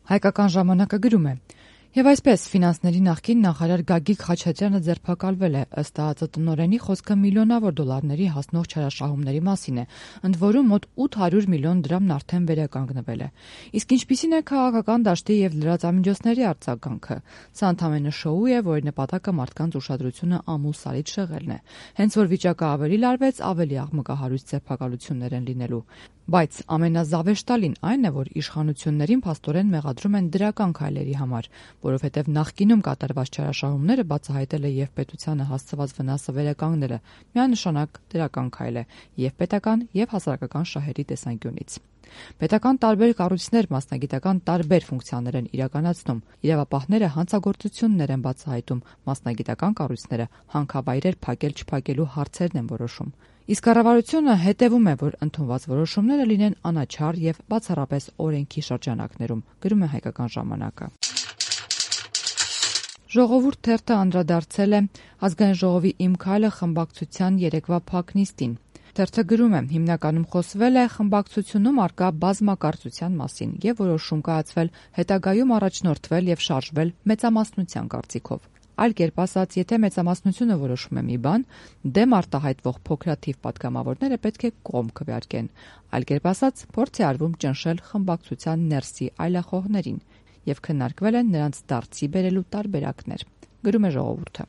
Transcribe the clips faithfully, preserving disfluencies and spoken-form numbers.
Հայկական ժամանակը գրում է. Եվ այսպես ֆինանսների նախկին նախարար Գագիկ Խաչատրյանը ձերբակալվել է, ըստ ԱԱԾ տնօրենի խոսքը միլիոնավոր դոլարների հասնող չարաշահումների մասին է, ընդ որում մոտ ութ հարյուր միլիոն դրամն արդեն վերականգնվել է։ Իսկ ինչպիսին է քաղաքական դաշտի եւ լրատվամիջոցների արձագանքը։ Սա ընդամենը շոու է, որի նպատակը մարդկանց ուշադրությունը ամուլսարից շեղելն է։ Հենց որ վիճակը ավելի լարվեց, ավելի աղմկահարույց ձերբակալություններ են լինելու։ Բայց ամենազավեշտալին այն է, որ իշխանություններին փաստորեն մեղադրում են դրական քայլերի համար, որովհետև նախկինում կատարված չարաշահումները բացահայտելը եւ պետությանը հասցված վնասը վերականգնելը միանշանակ դրական քայլ է եւ պետական եւ հասարակական շահերի տեսանկյունից։ Պետական տարբեր կառույցներ մասնագիտական տարբեր ֆունկցիաներ են իրականացնում, իրավապահները հանցագործություններ են բացահայտում, մասնագիտական կառույցները հանքավայրեր փակել-չփակելու հարցերն են որոշում։ Իսկ կառավարությունը հետևում է, որ ընդունված որոշումները լինեն անաչառ եւ բացառապես օրենքի շրջանակներում, գրում է Հայկական ժամանակը։ Ժողովուրդ թերթը անդրադարձել է Ազգային ժողովի «Իմ քայլը» խմբակցության երեկվա փակնիստին։ Թերթը գրում է. հիմնականում խոսվել է խմբակցությունում առկա բազմակարծության մասին եւ որոշում կայացվել հետագայում առաջնորդվել եւ շարժվել մեծամասնության կարծիքով։ Այլ կերպ ասած, եթե մեծամասնությունը որոշում է մի բան, դեմ արտահայտվող փոքրաթիվ պատգամավորները պետք է կողմ քվեարկեն։ Այլ կերպ ասած, փորձ է արվում ճնշել խմբակցության ներսի այլախոհներին եւ քննարկվել են նրանց դարձի բերելու տարբերակներ, գրում է Ժողովուրդը։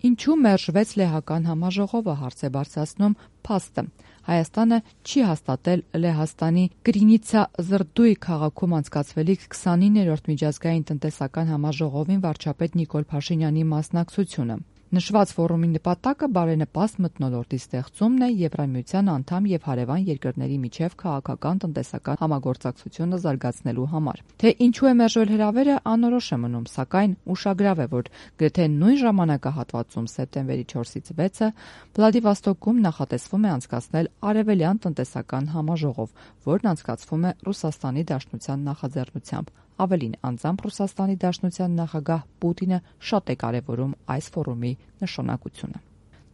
Ինչու մերժվեց Լեհական համաժողովը, հարց է բարձրացնում Փաստը։ Հայաստանը չի հաստատել Լեհաստանի Կրինիցա Զրդույ քաղաքում անցկացվելիք քսանիններորդ միջազգային տնտեսական համաժողովին վարչապետ Նիկոլ Փաշինյանի մասնակցությունը։ Նշված ֆորումի նպատակը բարենպաստ մթնոլորտի ստեղծումն է Եվրամիության անդամ եւ հարևան երկրների միջև քաղաքական տնտեսական համագործակցությունը զարգացնելու համար։ Թե ինչու է մերժվել հրավերը, անորոշ է մնում, սակայն ուշագրավ է, որ գրեթե նույն ժամանակահատվածում սեպտեմբերի չորսից վեցը Վլադիվոստոկում նախատեսվում է անցկացնել Արևելյան տնտեսական համաժողով, որն անցկացվում է Ռուսաստանի Դաշնության նախաձեռնությամբ։ Ավելին, անձամբ Ռուսաստանի Դաշնության նախագահ Պուտինը շատ է կարևորում այս ֆորումի նշանակությունը։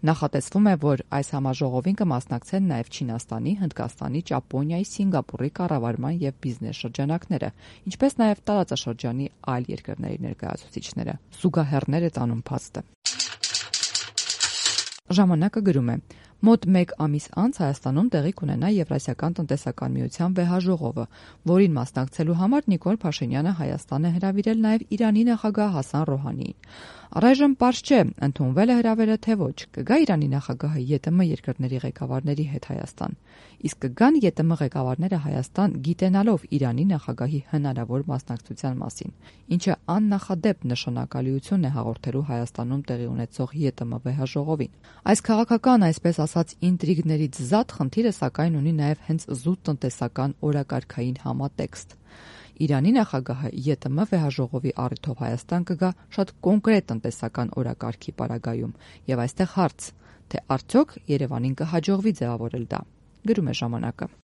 Նախատեսվում է, որ այս համաժողովին կմասնակցեն նաև Չինաստանի, Հնդկաստանի, Ճապոնիայի, Սինգապուրի կառավարման եւ բիզնես շրջանակները, ինչպես նաև տարածաշրջանի այլ երկրների ներկայացուցիչները։ Զուգահեռներ է տանում Փաստը։ Ժամանակը գրում է. Մոտ մեկ ամիս անց Հայաստանում տեղի կունենա Եվրասիական տնտեսական միության վեհաժողովը, որին մասնակցելու համար Նիկոլ Փաշինյանը Հայաստան է հրավիրել նաև Իրանի նախագահ Հասան Ռոհանիին։ Առայժմ պարզ չէ, ընդունվել է հրավերը թե ոչ, կգա Իրանի նախագահը ԵՏՄ երկրների ղեկավարների հետ Հայաստան։ Իսկ կգան ԵՏՄ ղեկավարները Հայաստան գիտենալով Իրանի նախագահի հնարավոր մասնակցության մասին, ինչը աննախադեպ նշանակալիություն է հաղորդելու Հայաստանում տեղի ունեցող ԵՏՄ վեհաժողովին։ Այս քաղաքական, այսպես ասած, ինտրիգներից զատ խնդիրը սակայն ունի նաև հենց զուտ տնտեսական օրակարգային համատեքստ։ Իրանի նախագահը ԵՏՄ վեհաժողովի առիթով Հայաստան կգա շատ կոնկրետ տնտեսական օրակարգի պարագայում, եւ այստեղ հարց, թե արդյոք Երևանին կհաջողվի ձևավորել դա, գրում է ժամանակը։